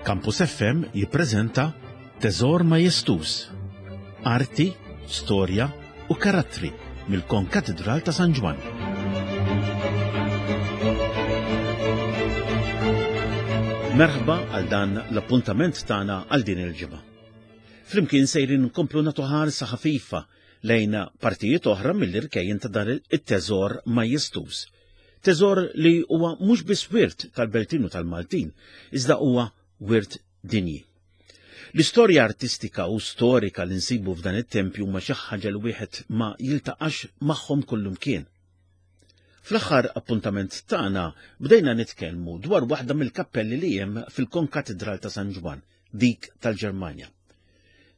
Campus FM jippreżenta Teżor Majestuż, Arti, Storja u Karattri mill-Konkatidral ta' San Ġwann. Merħba għal dan l-appuntament tagħna għal din il-ġimgħa. Flimkien sejrin nkomplu nagħtu ħarsa ħafifa lejn partijiet oħra mill-irkejjen ta' dan it-teżor majestuż. Teżor li huwa mhux biss wirt tal-Beltin u tal-Maltin, iżda huwa wirt dinji. L-istorja artistika u storika li nsibu f'dan it-tempju huma xi ħaġa li wieħed ma jiltaqax magħhom kullumkien. Fl-aħħar appuntament tagħna bdejna nitkellmu dwar waħda mill-kappelli li hemm fil-Konkatidral ta' San Ġwann, dik tal-Ġermanja.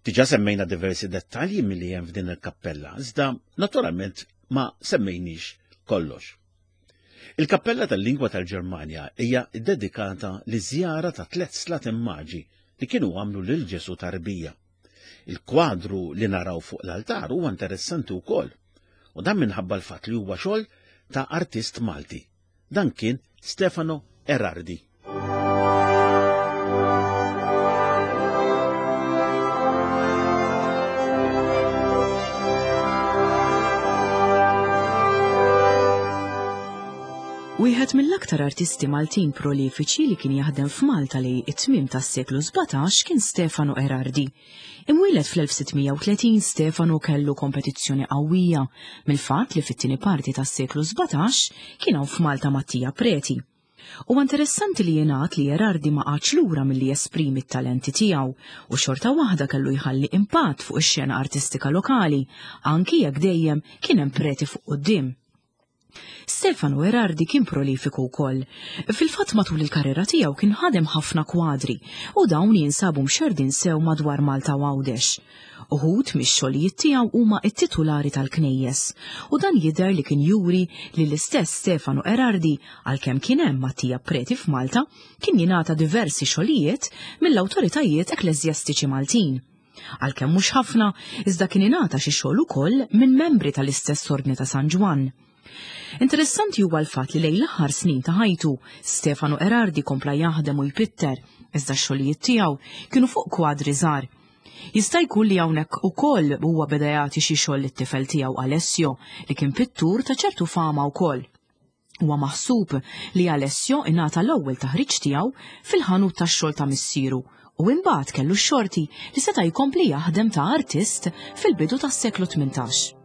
Diġà semmejna diversi dettalji milli hemm f'din il-kappella, iżda naturalment ma semmejniex kollox. Il-kappella tal-lingwa tal-Ġermanja hija ddedikata li żjara ta' tliet slaten maġi li kienu għamlu lil Ġesu tarbija. Il-kwadru li naraw fuq l-altar huwa interessanti wkoll, u dan minħabba l-fatt li huwa xogħol ta' artist Malti. Dan kien Stefano Erardi. Wieħed mill-aktar artisti Maltin prolifiċi li kien jaħdem f'Malta li it-tmiem tas-seklu 17 kien Stefano Erardi. Imwieled fl-1630 Stefano kellu kompetizzjoni qawwija mill-fatt li fit-tieni parti tas-seklu 17 kien hawn f'Malta Mattia Preti. Huwa interessanti li jingħad li Erardi ma qagħadx lura milli jesprimi t-talenti tiegħu u xorta waħda kellu jħalli impatt fuq ix-xena artistika lokali, anki jekk dejjem kien hemm Preti fuq quddiem. Stefano Erardi kien prolifiku wkoll. Fil-fatt matul il-karriera tiegħu kien ħadem ħafna kwadri u dawn jinsabu mxerrdin sew madwar Malta u Għawdex. Uħud mix-xogħlijiet tiegħu huma t-titulari tal-knejjes u dan jidher li kien juri li l-istess Stefano Erardi, għalkemm kien hemm Mattia Preti f'Malta, kien jingħata diversi xogħlijiet mill-awtoritajiet ekkleżjastiċi Maltin. Għalkemm mhux ħafna, iżda kien ingħata xi xogħol ukoll minn membri tal-istess Ordni ta' San Ġwann. Interessanti huwa l-fatt li lejn l-aħħar snin ta' ħajtu, Stefano Erardi kompla jaħdem u jpitter, iżda x-xogħlijiet tiegħu kienu fuq kwadri żgħar. Jista' jkun li hawnhekk ukoll huwa beda jagħti xi xogħol lit-tifel tiegħu Alessio, li kien pittur ta' ċertu fama wkoll. Huwa maħsub li Alessio ingħata l-ewwel taħriġ tiegħu fil-ħanut tax-xogħol ta' missieru u imbagħad kellu x-xorti li seta' jkompli jaħdem ta' artist fil-bidu tas-seklu 18.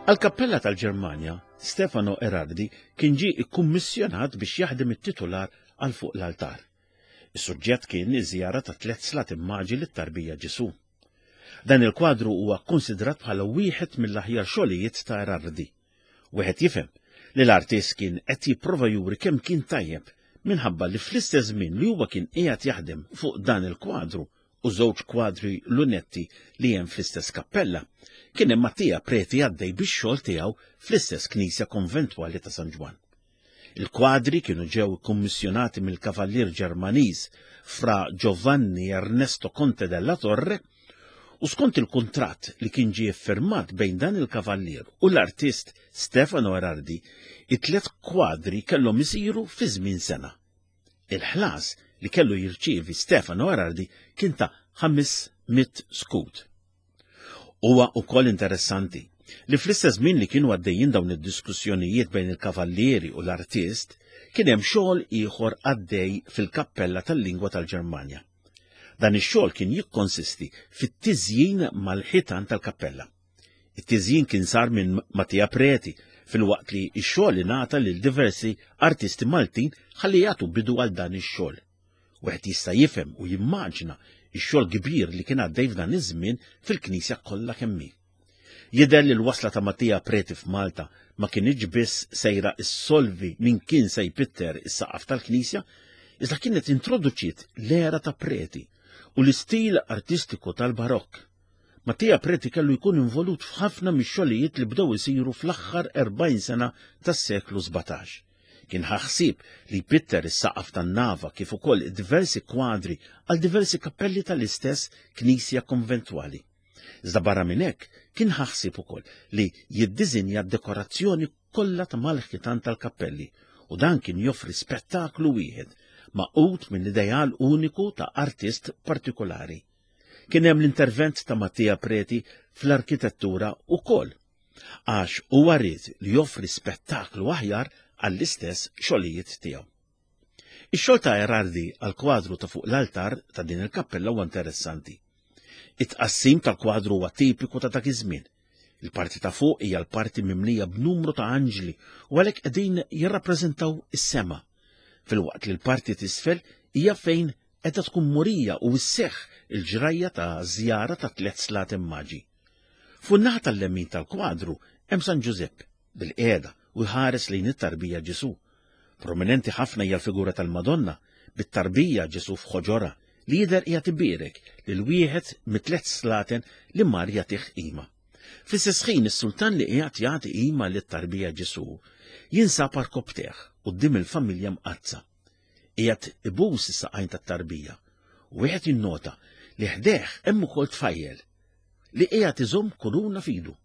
Għall-kappella tal-Ġermanja, Stefano Erardi kien ġie ikkummissjonat biex jaħdem it-titular għal fuq l-altar. Is-suġġett kien iż-żjara ta' tliet slat immaġi lit-tarbija Ġesù. Dan il-kwadru huwa kkunsidrat bħala wieħed mill-aħjar xogħlijiet ta' Erardi. Wieħed jifhem li l-artist kien qed jipprova juri kemm kien tajjeb minħabba li fl-istess żmien li huwa kien qiegħed jaħdem fuq dan il-kwadru u żewġ kwadri lunetti li hemm fl-istess kappella, kien hemm Mattia Preti għaddej bix-xogħol tiegħu fl-istess knisja konventwali ta' San Ġwann. Il-kwadri kienu ġew ikkummissjonati mill-kavallier Ġermaniż Fra Giovanni Ernesto Conte della Torre u skont il-kuntratt li kien ġie ffirmat bejn dan il-kavallier u l-artist Stefano Erardi, it-tliet kwadri kellhom isiru fi żmien sena. Il-ħlas li kellu jirċievi Stefano Erardi kien ta' 500 skud. Huwa wkoll interessanti li fl-istess żmien li kienu għaddejjin dawn id-diskussjonijiet bejn il-kavallieri u l-artist, kien hemm xogħol ieħor għaddej fil-kappella tal-lingwa tal-Ġermanja. Dan ix-xogħol kien jikkonsisti fit-tiżjin mal-ħitan tal-kappella. It-tiżjin kien sar minn Mattia Preti filwaqt li x-xogħol ingħata lil diversi artisti Maltin ħalli jagħtu bidu għal dan ix-xogħol. Wieħed jista' jifhem u jimmaġina x-xogħol kbir li kien għaddej f'dan iż-żmien fil-Knisja kollha kemm hi. Jidher li l-wasla ta' Mattia Preti f'Malta ma kinitx biss sejra issolvi min kien se jpitter is-saqaf tal-Knisja, iżda kienet introduċiet l-era ta' Preti u l-istil artistiku tal-Barokk. Mattia Preti kellu jkun involut f'ħafna mix-xogħlijiet li bdew isiru fl-aħħar 40 sena tas-seklu 17. Kien ħa ħsieb li jpitter is-saqaf tan-nava kif ukoll diversi kwadri għal diversi kappelli tal-istess knisja konventwali. Iżda barra minn hekk kien ħa ħsieb ukoll li jiddiżinja d-dekorazzjoni kollha ta' mal-ħitan tal-kappelli u dan kien joffri spettaklu wieħed magħqud minn ideal uniku ta' artist partikolari. Kien hemm l-intervent ta' Mattia Preti fl-arkitettura ukoll, għax huwa ried li joffri spettaklu aħjar għall-istess xogħlijiet tiegħu. Ix-xogħol ta' Erardi għall-kwadru ta' fuq l-altar ta' din il-kappella huwa interessanti. It-tqassim tal-kwadru huwa tipiku ta' dak iż-żmien. Il-parti ta' fuq hija l-parti mimlija b'numru ta' anġli u għalhekk qegħdin jirrappreżentaw is-sema, filwaqt li l-parti t'isfel hija fejn qiegħda tkun murija u sseħħ il-ġrajja ta' żjara ta' tlett slaten maġi. Fuq in-naħa tal-lemin tal-kwadru hemm San Ġużepp bilqiegħda u jħares lejn it-tarbija Ġesù. Prominenti ħafna hija l-figura tal-Madonna bit-tarbija Ġesù f'ħoġorha li jidher qiegħed ibierek lil wieħed mit-tliet slaten li mar jagħtih qima. Fl-istess ħin is-sultan li qiegħed jagħti qima lit-tarbija Ġesù jinsab għarkopptejh quddiem il-familja mqaddsa. Qiegħed ibus is-saqajn tat-tarbija u wieħed jinnota li ħdejh hemm ukoll tfajjel li qiegħed iżomm kuruna f'idu.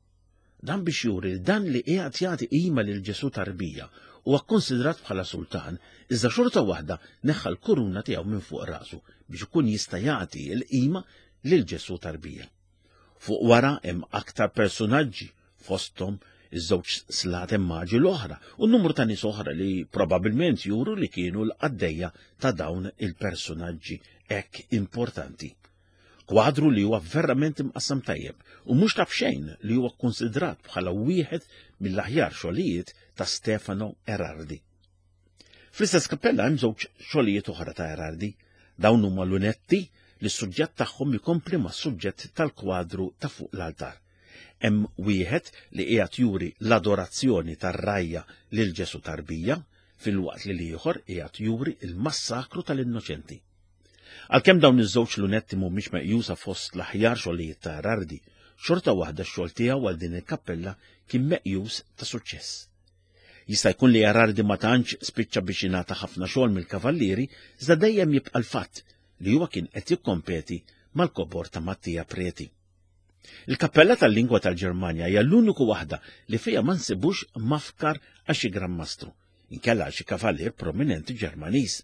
Dan biex juri li dan li qiegħed jagħti qima lil Ġesù tarbija huwa kkonsidrat bħala sultan, iżda xorta waħda neħħa l-kuruna tiegħu minn fuq rasu biex ikun jista' jagħti l-qima lil Ġesù tarbija. Fuq wara hemm aktar persunaġġi fosthom iż-żewġ slaten maġi l-oħra u numru ta' nies oħra li probabbilment juru li kienu l-qaddejja ta' dawn il-persunaġġi hekk importanti. Kwadru li huwa verament imqassam tajjeb u mhux ta' b'xejn li huwa kkunsidrat bħala wieħed mill-aħjar xogħlijiet ta' Stefano Erardi. Fl-istess kappella hemm żewġ xogħlijiet oħra ta' Erardi. Dawn huma lunetti li s-suġġett tagħhom ikompli mas-suġġett tal-kwadru ta' fuq l-altar. Hemm wieħed li qiegħed juri l-adorazzjoni tar-rgħajja lil Ġesù tarbija, filwaqt li l-ieħor qiegħed juri l-massakru tal-innoċenti. Għalkemm dawn iż-żewġ lunetti mhumiex meqjusa fost l-aħjar xogħlijiet ta' Erardi, xorta waħda x-xogħol tiegħu għal din il-kappella kien meqjus ta' suċċess. Jista' jkun li Erardi ma tantx spiċċa biex jingħata ħafna xogħol mill-kavallieri, iżda dejjem jibqa' l-fatt li huwa kien qed jikkompeti mal-kobor ta' Mattia Preti. Il-kappella tal-lingwa tal-Ġermanja hija l-uniku waħda li fiha ma nsibux mafkar għal xi Gran Mastru, inkella għal xi kavallier prominenti Ġermaniż.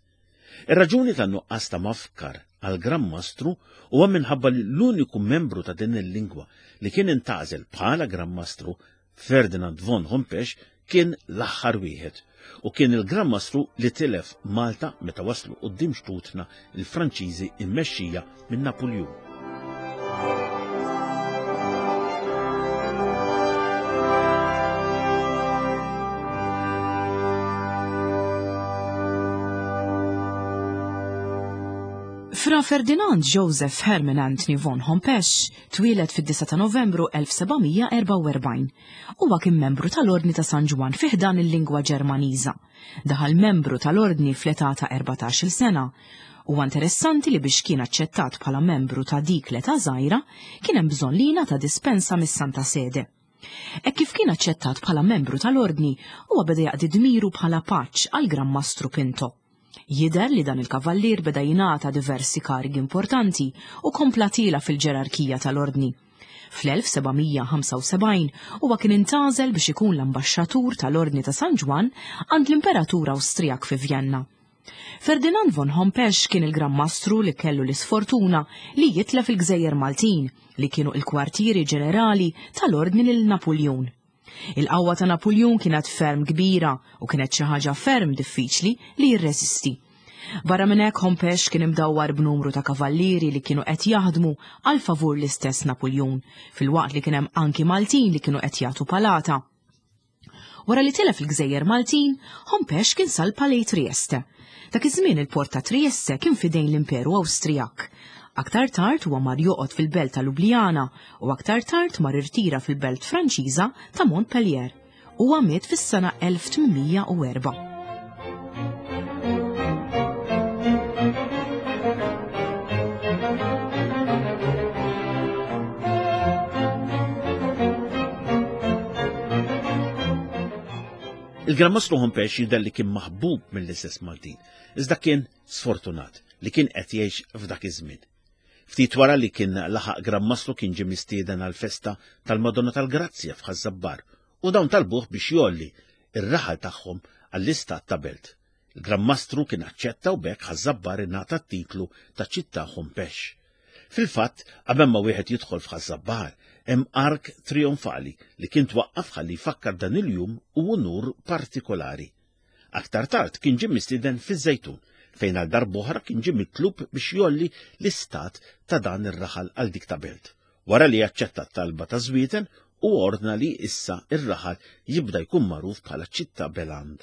Ir-raġuni tan-nuqqas ta' mafkar għal Gran Mastru huwa minħabba li l-uniku membru ta' din il-lingwa li kien intgħażel bħala Gran Mastru, Ferdinand von Hompesch, kien l-aħħar wieħed u kien il-Gran Mastru li tilef Malta meta waslu quddiem xtutna l-Franċiżi mmexxija minn Napuljun. Fra Ferdinand Joseph Herman Anthony von Hompesch twieled fid-9 ta' Novembru 1744. Huwa kien membru tal-Ordni ta' San Ġwann fi ħdan il-lingwa Ġermaniża. Daħal membru tal-Ordni fl-età ta' 14-il sena. Huwa interessanti li biex kien aċċettat bħala membru ta' dik l-età żgħira, kien hemm bżonn li jingħata dispensa mis-Santa Sede. Hekk kif kien aċċettat bħala membru tal-Ordni, huwa beda jaqdi dmiru bħala paġġ għall-Gran Mastru Pinto. Jidher li dan il-kavallier beda jingħata diversi karigi importanti u kompla tiela' fil-ġerarkija tal-Ordni. Fl-1775 huwa kien intgħażel biex ikun l-ambaxxatur tal-Ordni ta' San Ġwann għand l-Imperatur Awstrijak fi Vjenna. Ferdinand von Hompesch kien il-Gran Mastru li kellu l-isfortuna li jitlef il-Gżejjer Maltin, li kienu il-kwartieri ġenerali tal-Ordni lil Napuljun. Il-qawwa ta' Napuljun kienet ferm kbira u kienet xi ħaġa ferm diffiċli li jirreżisti. Barra minn hekk Hompesch kien imdawwar b'numru ta' kavallieri li kienu qed jaħdmu għal favur l-istess Napuljun, filwaqt li kien hemm anki Maltin li kienu qed jagħtu palata. Wara li tilef il-Gżejjer Maltin, Hompesch kien salpa lejn Trieste. Dak iż-żmien il-port ta' Trieste kien f'idejn l-Imperu Awstrijak. Aktar tard huwa mar joqgħod fil-belt ta' Ljubljana u aktar tard mar irtira fil-belt Franċiża ta' Montpellier. Huwa miet fis-sena 1804. Il-Gran Mastru Hompex jidher li kien maħbub mill-istess Maltin, iżda kien sfortunat li kien qed jgħix f'dak iż-żmien. Ftit wara li kien laħaq Gran Mastru kien ġie mistieden għall-festa tal-Madonna tal-Grazzja f'Ħaż-Żabbar u dawn talbuh biex jgħolli r-raħal tagħhom għall-istat ta' belt. Il-Gran Mastru kien aċċetta u b'hekk Ħaż-Żabbar ingħata t-titlu ta' Ċittà Hompex. Fil-fatt, qabel ma wieħed jidħol f'Ħaż-Żabbar, hemm ark trijonfali li kien twaqqaf ħalli jfakkar dan il-jum u unur partikolari. Aktar tard kien ġie mistieden fiż-Żejtun, fejn għal darb'oħra kien ġie mitlub biex jgħolli l-istat ta' dan ir-raħal għal dik ta' belt. Wara li aċċetta t-talba ta' Żwieten, hu ordna li issa r-raħal jibda jkun magħruf bħala Ċittà Beland.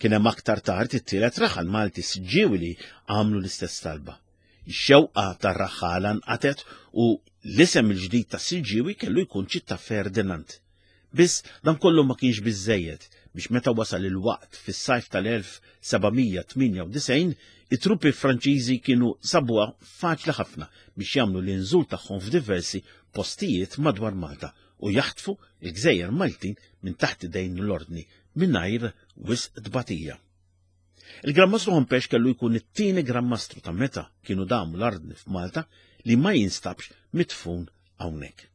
Kien hemm aktar tard it-tielet raħal Malti Siġġiewi li għamlu l-istess talba. Ix-xewqa tar-raħħala nqatgħet u l-isem il-ġdid ta' Siġġiewi kellu jkun Ċittà Ferdinand. Biss dan kollu ma kienx biżżejjed biex meta wasal il-waqt fis-sajf tal-1798 it-truppi Franċiżi kienu sabuha faċli ħafna biex jagħmlu l-inżul tagħhom f'diversi postijiet madwar Malta u jaħtfu l-gżejjer Maltin minn taħt idejn l-Ordni mingħajr wisq tbatija. Il-Gran Mastru Hompex kellu jkun it-tieni Gran Mastru ta' meta kienu damu l-Ordni f'Malta li ma jinstabx midfun hawnhekk.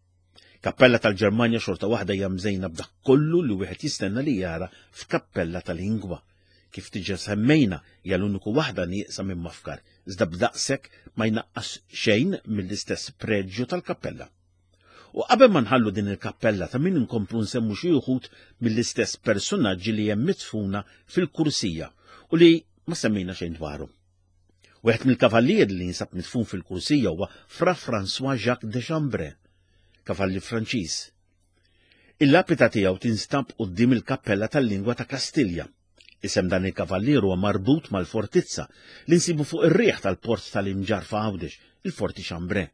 Kappella tal-Ġermanja xorta waħda hija mżejna b'dak kollu li wieħed jistenna li jara f'kappella tal-lingwa. Kif diġà semmejna hija l-uniku waħda nieqsa minn mafkar, iżda b'daqshekk ma jnaqqas xejn mill-istess preġju tal-kappella. U qabel ma nħallu din il-kappella ta' min inkomplu nsemmu xi uħud mill-istess persunaġġi li hemm midfuna fil-kursija u li ma semmejna xejn dwarhom. Wieħed mill-kavallieri li jinsab midfun fil-kursija huwa Fra François Jacques de Chambray, kavallier Franċiż. Il-lapida tiegħu tinstab quddiem il-kappella tal-lingwa ta' Kastilja. Isem dan il-kavallier huwa marbut mal-fortizza li nsibu fuq ir-riħ tal-port tal-Imġarr f'Għawdex, il-Forti Chambray.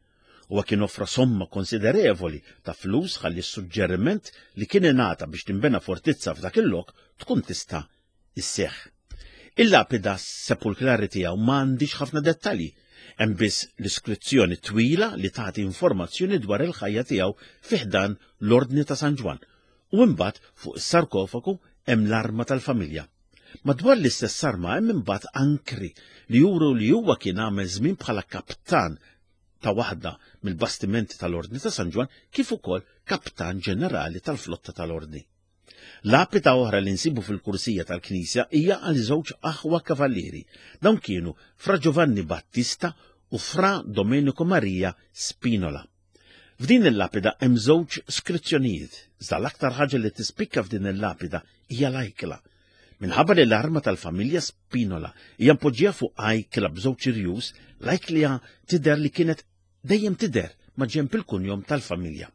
Huwa kien offra somma konsiderevoli ta' flus ħalli s-suġġeriment li kien ingħata biex tinbena fortizza f'dak il-lok tkun tista' isseħħ. Il-lapida sepulkrali tiegħu ma għandix ħafna dettalji. Hemm biss l-iskrizzjoni twila li tagħti informazzjoni dwar il-ħajja tiegħu fi ħdan l-Ordni ta' San Ġwann u imbagħad fuq is-sarkofagu hemm l-arma tal-familja. Madwar l-istess arma hemm imbagħad ankri li juru li huwa kien għamel żmien bħala kaptan ta' waħda mill-bastimenti tal-Ordni ta' San Ġwann kif ukoll kaptan ġenerali tal-flotta tal-Ordni. Lapida oħra li nsibu fil-kursija tal-knisja hija għal żewġ aħwa kavallieri. Dawn kienu Fra Giovanni Battista u Fra Domenico Maria Spinola. F'din il-lapida hemm żewġ skrizzjonijiet, iżda l-aktar ħaġa li tispikka f'din il-lapida hija l-ajkla. Minħabba li l-arma tal-familja Spinola hija mpoġġija fuq ajkla b'żewġ irjus, l-ajkla tidher li kienet dejjem tidher ma' ġenb il-kunjom tal-familja.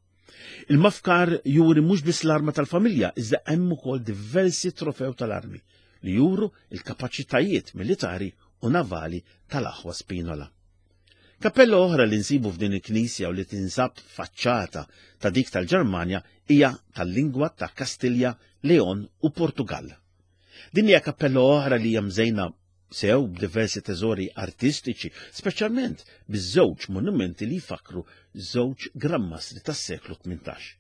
Il-mafkar juri mhux biss l-arma tal-familja, iżda hemm ukoll diversi trofew tal-armi li juru il-kapaċitajiet militari u navali tal-aħwa Spinola. Kappella oħra li nsibu f'din il-knisja u li tinsab faċċata ta' dik tal-Ġermanja hija tal-lingwa ta' Kastilja, Leon u Portugall. Din hija kappella oħra li hija mżejna sew b'diversi teżori artistiċi, speċjalment biż-żewġ monumenti li jfakkru żewġ grammastri tas-seklu 18.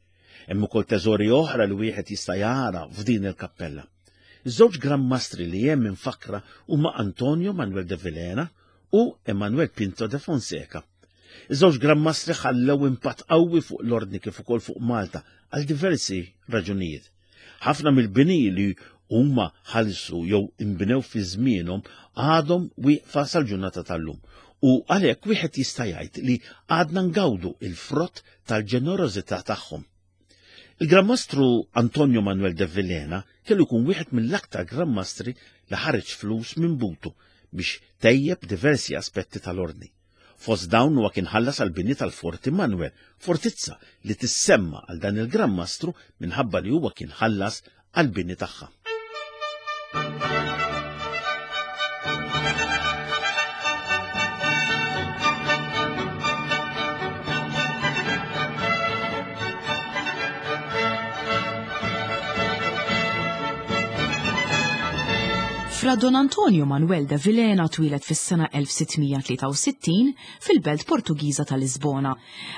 Hemm ukoll teżori oħra li wieħed jista' jara f'din il-kappella. Iż-żewġ grammastri li hemm imfakkra huma Antonio Manuel de Vilhena u Emanuel Pinto de Fonseca. Iż-żewġ Gran Mastri ħallew impatt qawwi fuq l-Ordni kif ukoll fuq Malta għal diversi raġunijiet. Ħafna mill-bini li huma ħallsu jew inbnew fi żmienhom għadhom wieqfa sal-ġurnata tal-lum u għalhekk wieħed jista' jgħid li għadna ngawdu il-frott tal-ġenerożità tagħhom. Il-Gran Mastru Antonio Manuel de Vilhena kellu jkun wieħed mill-aktar Gran Mastri li ħareġ flus minn butu biex tejjeb diversi aspetti tal-ordni. Fost dawn huwa kien ħallas għall-bini tal-Forti Manuel, fortizza li tissemma għal dan il-Gran Mastru minħabba li huwa kien ħallas għall-bini tagħha. Fra Don Antonio Manuel de Vilhena twieled fis-sena 1663 fil-belt Portugiża ta' Lisbona.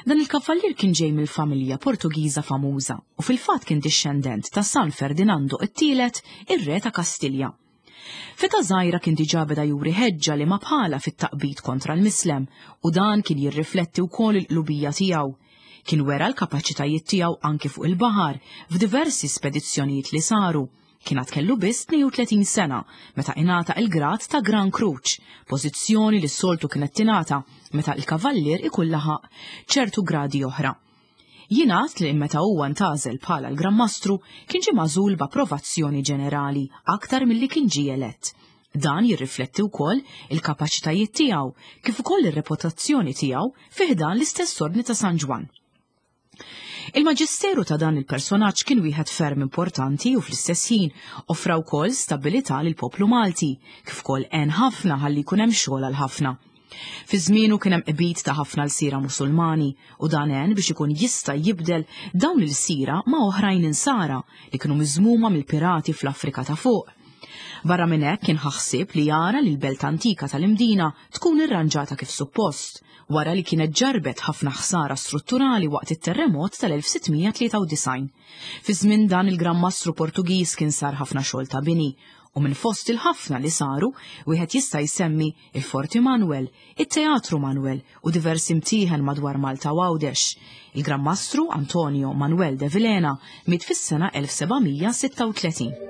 Dan il-kavallier kien ġej mill-familja Portugiża famuża u fil-fatt kien dixxendent ta' San Ferdinando it-Tielet, ir-Re ta' Kastilja. F'età żgħira kien diġà beda juri ħeġġa li ma bħalha fit-taqbid kontra l-mislem u dan kien jirrifletti wkoll il-qlubija tiegħu. Kien wera l-kapaċitajiet tiegħu anki fuq il-baħar f'diversi spedizzjonijiet li saru. Kien għad kellu biss 32 sena meta ingħata il-grad ta' Gran Kruċ, pożizzjoni li s-soltu kienet tingħata meta l-kavallier ikun laħaq ċertu gradi oħra. Jingħad li meta huwa ntgħażel bħala l-Gran Mastru kien ġie magħżul b'approvazzjoni ġenerali aktar milli kien ġie elett. Dan jirrifletti wkoll il-kapaċitajiet tiegħu kif ukoll ir-reputazzjoni tiegħu fi ħdan l-istess Ordni ta' San Ġwann. Il-maġisteru ta' dan il-personaġġ kien wieħed ferm importanti u fl-istess ħin offra wkoll stabilità lill-poplu Malti, kif ukoll għen ħafna ħalli jkun hemm xogħol għal ħafna. Fi żmienu kien hemm qbid ta' ħafna lsiera Musulmani u dan għen biex ikun jista' jibdel dawn l-ilsira ma' oħrajn Insara li kienu miżmuma mill-pirati fl-Afrika ta' Fuq. Barra minn hekk kien ħa ħsieb li jara li l-belt antika tal-Imdina tkun irranġata kif suppost, wara li kienet ġarrbet ħafna ħsara strutturali waqt it-terremot tal-1693. Fi żmien dan il-Gran Mastru Portugiż kien sar ħafna xogħol ta' bini u minn fost il-ħafna li saru wieħed jista' jsemmi il-Forti Manuel, it-Teatru Manuel u diversi mtieħen madwar Malta u Għawdex. Il-Gran Mastru Antonio Manuel de Vilhena miet fis-sena 1736.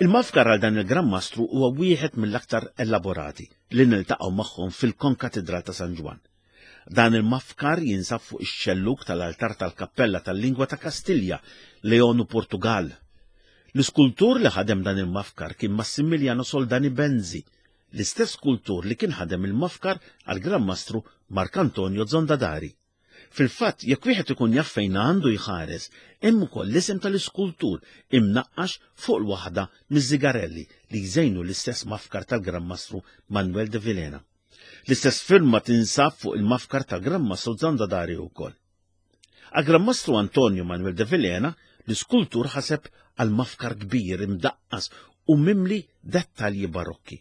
Il-mafkar għal dan il-Gran Mastru huwa wieħed mill-aktar elaborati li niltaqgħu magħhom fil-Konkatidral ta' San Ġwann. Dan il-mafkar jinsab fuq ix-xellug tal-altar tal-Kappella tal-Lingwa ta' Kastilja, Leon u Portugal. L-iskultur li ħadem dan il-mafkar kien Massimiliano Soldani Benzi, l-istess skultur li kien ħadem il-mafkar għall-Gran Mastru Marcantonio Zondadari. Fil-fatt, jekk wieħed ikun jaf fejn għandu jħares, hemm ukoll l-isem tal-iskultur imnaqqax fuq l-waħda miż-żigarelli li jżejnu l-istess mafkar tal-Gran Mastru Manuel de Vilhena. L-istess firma tinsab fuq il-mafkar tal-Gran Mastru Zandadari wkoll. Għal-Gran Mastru Antonio Manuel de Vilhena, l-iskultur ħaseb għal mafkar kbir imdaqqas u mimli dettalji barokki.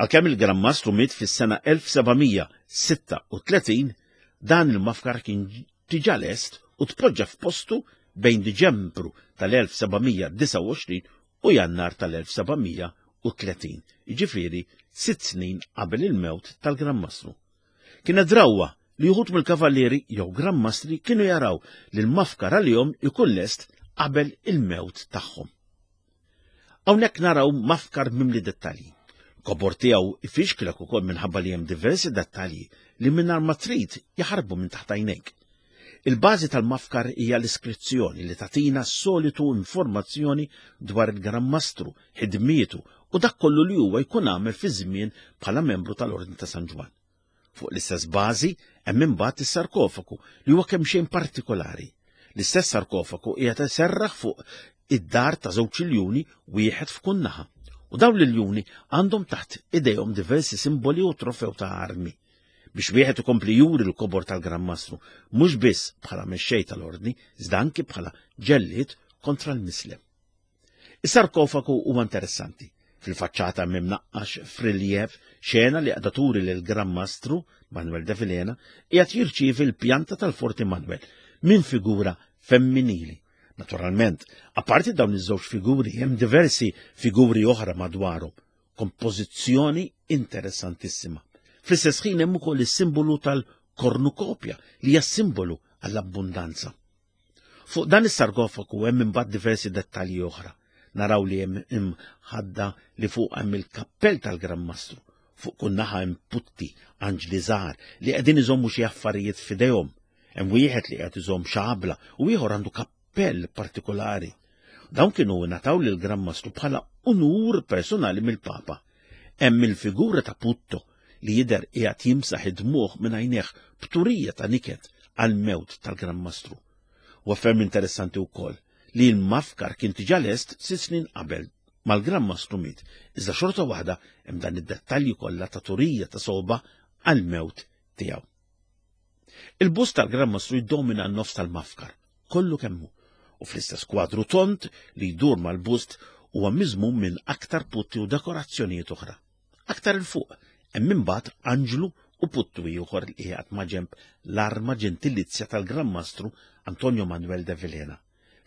Għalkemm il-Gran Mastru miet fis-sena 1736, dan il-mafkar kien diġà lest u tpoġġa f'postu bejn Diċembru tal-1729 u Jannar tal-1730, jiġifieri sitt snin qabel il-mewt tal-Gran Mastru. Kienet drawwa li uħud mill-kavallieri jew Gran Mastri kienu jaraw li l-mafkar għalihom ikun lest qabel il-mewt tagħhom. Hawnhekk naraw mafkar mimli dettalji. Kobor tiegħu ifixklek ukoll minħabba li hemm diversi dettalji li mingħajr ma trid jaħarbu minn taħt għajnejk. Il-bażi tal-mafkar hija l-iskrizzjoni li tagħtina s-solitu informazzjoni dwar il-Gran Mastru, ħidmietu u dak kollu li huwa jkun għamel fi żmien bħala membru tal-Ordni ta' San Ġwann. Fuq l-istess bażi hemm imbagħad is-sarkofagu li huwa kemxejn partikolari. L-istess sarkofagu qiegħed iserraħ fuq id-dar ta' żewġ iljuni wieħed f'kull naħa. U dawn l-iljuni għandhom taħt idejhom diversi simboli u trofew ta' armi. Biex wieħed ikompli juri l-kobor tal-Gran Mastru, mhux biss bħala mexxej tal-ordni, iżda anki bħala ġellied kontra l-mislem. Is-sarkofagu huwa interessanti. Fil-faċċata hemm imnaqqax f'riljev xena li qiegħda turi lil Gran Mastru Manuel de Vilhena qiegħed jirċievi l-pjanta tal-Forti Manuel minn figura femminili. Naturalment, apparti dawn iż-żewġ figuri hemm diversi figuri oħra madwarhom. Kompożizzjoni interessantissima. Fl-istess ħin hemm ukoll is-simbolu tal-kornukopja li hija simbolu għall-abbundanza. Fuq dan is-sarkofagu hemm imbagħad diversi dettalji oħra. Naraw li hemm imħadda li fuq hemm il-kappell tal-Gran Mastru. Fuq kull naħa hemm putti, anġli żgħar li qegħdin iżommu xi affarijiet f'idejhom. Hemm wieħed li qiegħed iżomm xabla u ieħor għandu kappell partikolari. Dawn kienu ngħataw lil Gran Mastru bħala unur personali mill-Papa. Hemm il-figura ta' Putto li jidher qiegħed jimsaħ id-dmugħ minn għajnejh b'turija ta' niket għall-mewt tal-Gran Mastru. Huwa ferm interessanti wkoll li l-mafkar kien diġà lest sitt snin qabel mal-Gran Mastru miet, iżda xorta waħda hemm dan id-dettalji kollha ta' turija ta' sogħba għall-mewt tiegħu. Il-bust tal-Gran Mastru jiddomina n-nofs tal-mafkar. kollu kemm hu u fl-istess kwadru tond li jdur mal-bust huwa miżmum minn aktar putti u dekorazzjonijiet oħra. Aktar 'il fuq hemm imbagħad anġlu u puttu ieħor li qiegħed maġenb l-arma ġentilizja tal-Gran Mastru Antonio Manuel de Vilhena.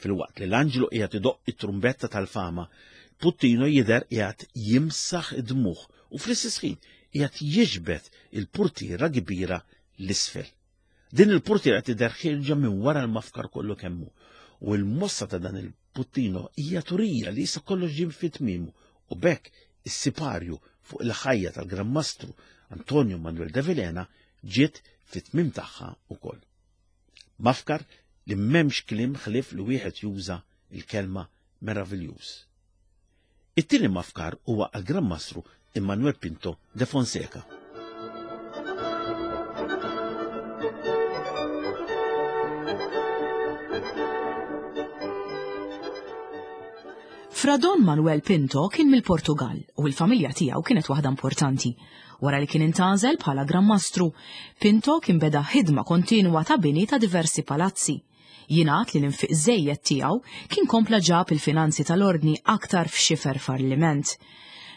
Filwaqt li l-anġlu qiegħed idoqq it-trumbetta tal-fama, Puttino jidher qiegħed jimsaħ id-dmugħ u fl-istess ħin qiegħed jiġbed il-purtiera kbira 'l isfel. Din il-purtiera tidher ħierġa minn wara l-mafkar kollu kemm hu u l-mossa ta' dan il-Puttino hija turija li issa kollox ġie fi tmiemu u b'hekk is-siparju fuq il-ħajja tal-Gran Mastru Antonio Manuel de Vilhena ġiet fit-tmiem tagħha wkoll. Mafkar li m'hemmx kliem ħlief li wieħed juża l-kelma meraviljuż. It-tieni mafkar huwa għall-Gran Mastru Immanuel Pinto de Fonseca. Fra Don Manuel Pinto kien mill-Portugall u l-familja tiegħu kienet waħda importanti. Wara li kien intgħażel bħala Gran Mastru, Pinto kien beda ħidma kontinwa ta' bini ta' diversi palazzi. Jingħad li l-infiq żejjed tiegħu kien kompla ġab il-finanzi tal-Ordni aktar f'xifer falliment.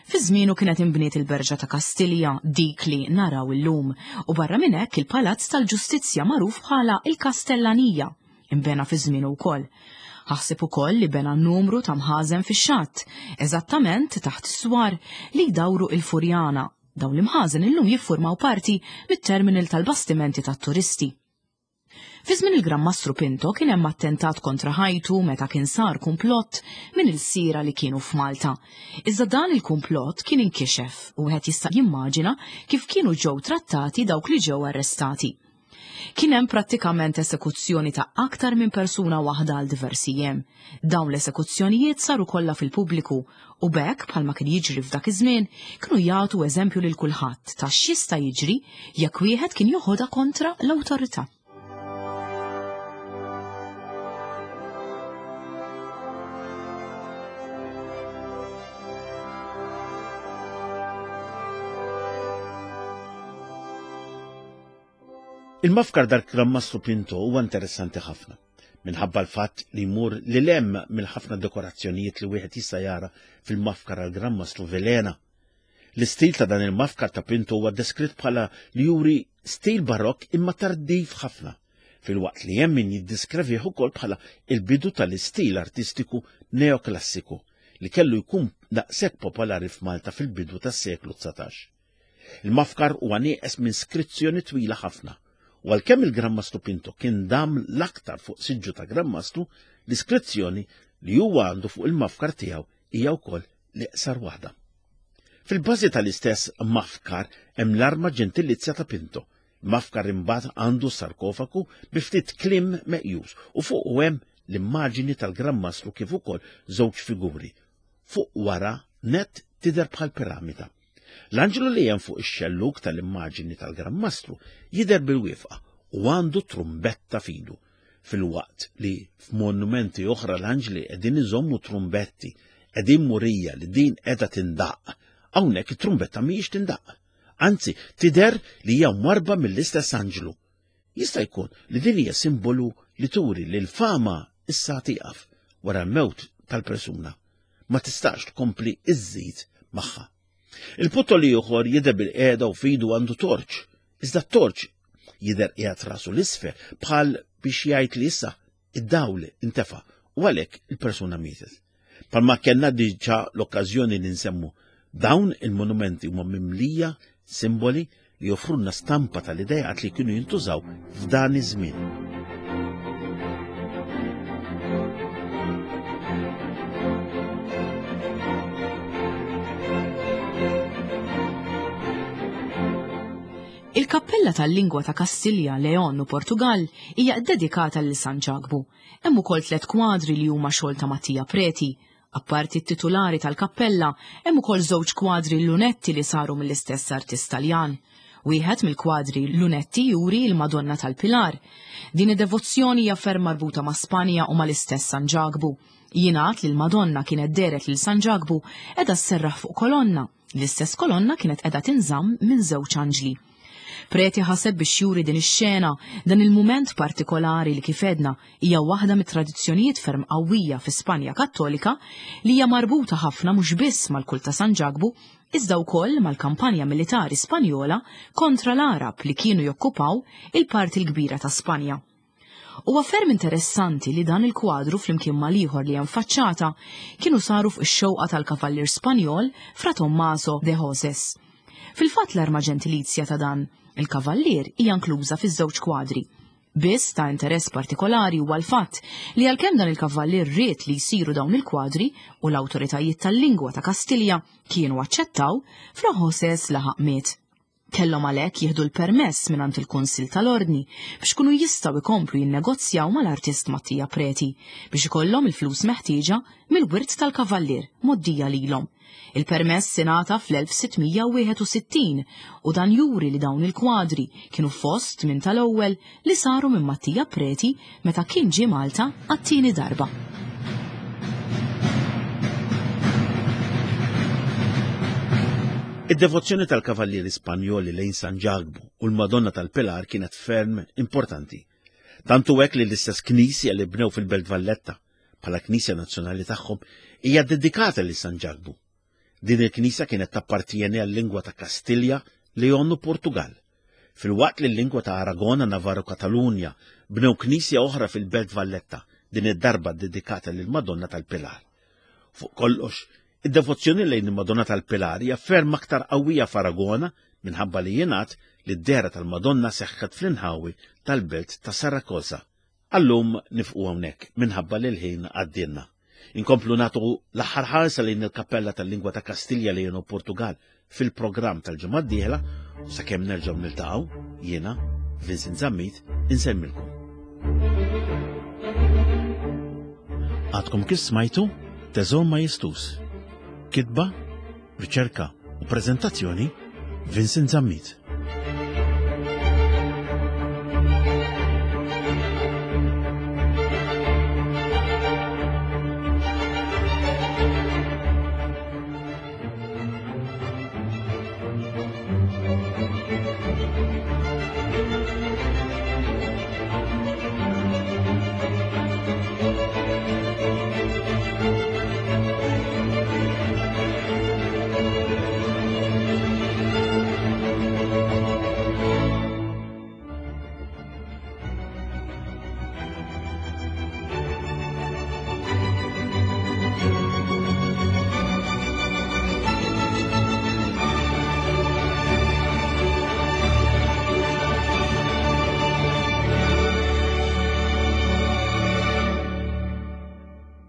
Fi żmienu kienet inbniet il-Berġa ta' Kastilja, dik li naraw illum, u barra minn hekk il-Palazz tal-Ġustizzja magħruf bħala l-Kastellanija, inbena fi żmienu wkoll. Ħaseb ukoll li bena numru ta' mħażen fix-xatt, eżattament taħt is-swar li jdawru il-Furjana. Dawn l-imħażen illum jiffurmaw parti mit-terminal tal-bastimenti tat-turisti. Fi żmien il-Gran Mastru Pinto kien hemm attentat kontra ħajtu meta kien sar kumplott minn ilsiera li kienu f'Malta. Iżda dan il-kumplott kien inkixef u wieħed jista' jimmaġina kif kienu ġew trattati dawk li ġew arrestati. Kien hemm prattikament esekuzzjoni ta' aktar minn persuna waħda għal diversi jiem. Dawn l-esekuzzjonijiet saru kollha fil-pubbliku u b'hekk bħalma kien jiġri f'dak iż-żmien kienu jagħtu eżempju lil kulħadd ta' x'jista' jiġri jekk wieħed kien joħodha kontra l-awtorità. Il-mafkar dal-Gran Mastru Pinto huwa interessanti ħafna minħabba l-fatt li jmur lil hemm mill-ħafna dekorazzjonijiet li wieħed jista' jara fil-mafkar għal Gran Mastru Velena. L-istil ta' dan il-mafkar ta' Pinto huwa deskritt bħala li juri stil barokk imma tardiv ħafna, filwaqt li hemm min jiddiskrevih ukoll bħala il-bidu tal-istil artistiku neoklassiku li kellu jkun daqshekk popolari f'Malta fil-bidu tas-seklu 19. Il-mafkar huwa nieqes minn skrizzjoni twila ħafna, u għalkemm il-Gran Mastru Pinto kien dam l-aktar fuq siġġu ta' Gran Mastru, l-iskrizzjoni li huwa għandu fuq il-mafkar tiegħu hija wkoll l-iqsar waħda. Fil-bażi tal-istess mafkar hemm l-arma ġentilizja ta' Pinto. Mafkar imbagħad għandu sarkofagu bi ftit kliem meqjus u fuqu hemm l-immaġini tal-Gran Mastru kif ukoll żewġ figuri. Fuq wara net tidher bħal piramida. L-anġlu li hemm fuq ix-xellug tal-immaġini tal-Gran Mastru jidher bil-wifqa u għandu trumbetta f'idu, filwaqt li f'monumenti oħra l-anġli qegħdin iżommu trumbetti qegħdin murija li din qiegħda tindaqq, hawnhekk it-trumbetta mhijiex tindaqq. Anzi, tidher li hija mwarrba mill-istess anġlu. Jista' jkun li din hija simbolu li turi li l-fama issa tieqaf wara l-mewt tal-persuna. Ma tistax tkompli iżżid magħha. Il-puttoli ieħor jidher bil-qiegħda u fidu għandu torċ, iżda t-torċ jidher qiegħed rasu l-isfel bħal biex jgħid li issa id-dawl intefa' u għalhekk il-persuna mietet. Palma kellna diġà l-okkażjoni li nsemmu dawn il-monumenti huma mimlija simboli li joffrulna stampa tal-idejat li kienu jintużaw f'dan iż-żmien. Il-kappella tal-lingwa ta' Kastilja, Leon u Portugall hija ddedikata lil San Ġakbu. Hemm ukoll tliet kwadri li huma xogħol ta' Mattia Preti. Apparti t-titulari tal-kappella, hemm ukoll żewġ kwadri lunetti li saru mill-istess artist Taljan. Wieħed mill-kwadri lunetti juri l-Madonna tal-Pilar. Din id-devozzjoni hija ferm marbuta ma' Spanja u mal-istess San Ġakbu. Jingħad li l-Madonna kienet dehret lil San Ġakbu qiegħda sserraħ fuq kolonna. L-istess kolonna kienet qiegħda tinżamm minn żewġ anġli. Preti ħaseb biex juri din ix-xena, dan il-mument partikolari li kif għedna hija waħda mit-tradizzjonijiet ferm qawwija fi Spanja Kattolika li hija marbuta ħafna mhux biss mal-kult ta' San Ġakbu iżda wkoll mal-kampanja militari Spanjola kontra l-Għarab li kienu jokkupaw il-parti l-kbira ta' Spanja. Huwa ferm interessanti li dan il-kwadru flimkien mal-ieħor li hemm faċċata kienu saru fuq ix-xewqa tal-kavallier Spanjol Fra Tommaso de Hoses. Fil-fatt l-arma ġentilizja ta' dan il-kavallier hija inkluża fiż-żewġ kwadri. Biss ta' interess partikolari huwa l-fatt li għalkemm dan il-kavallier ried li jsiru dawn il-kwadri u l-awtoritajiet tal-lingwa ta' Kastilja kienu aċċettaw, Fra Hoses laħaq miet. Kellhom għalhekk jieħdu l-permess mingħand il-Kunsill tal-Ordni biex ikunu jistgħu jkomplu jinnegozjaw mal-artist Mattia Preti biex ikollhom il-flus meħtieġa mill-wirt tal-Kavallier mgħoddija lilhom. Il-permess ingħata fl-1661 u dan juri li dawn il-kwadri kienu fost minn tal-ewwel li saru minn Mattia Preti meta kien ġie Malta għat-tieni darba. Id-devozzjoni tal-kavallieri Spanjoli lejn San Ġakbu u l-Madonna tal-Pilar kienet ferm importanti. Tant hu hekk li l-istess knisja li bnew fil-Belt Valletta bħala knisja nazzjonali tagħhom hija dedikata lil San Ġakbu. Din il-knisja kienet tappartieni għal-lingwa ta' Kastilja, Leon u Portugal. Filwaqt li l-lingwa ta' Aragona, Navarra u Katalunja bnew knisja oħra fil-Belt Valletta, din id-darba ddedikata lill-Madonna tal-Pilar. Fuq kollox, id-devozzjoni lejn il-Madonna tal-Pilar hija ferm aktar qawwija f'Aragona minħabba li jingħad li d-dehra tal-Madonna seħħet fl-inħawi tal-belt ta' Saragossa. Għal-lum nifqu hawnhekk minħabba li l-ħin għaddielna. Inkomplu nagħtu l-aħħar ħarsa lejn il-Kappella tal-Lingwa ta' Kastilja Leon u Portugal fil-programm tal-ġimgħa d-dieħla u sakemm nerġgħu niltaqgħu jiena Vincent Zammit insellmilkom. Għadkom kif smajtu Teżor Majestus. Kitba, riċerka u preżentazzjoni Vincent Zammit.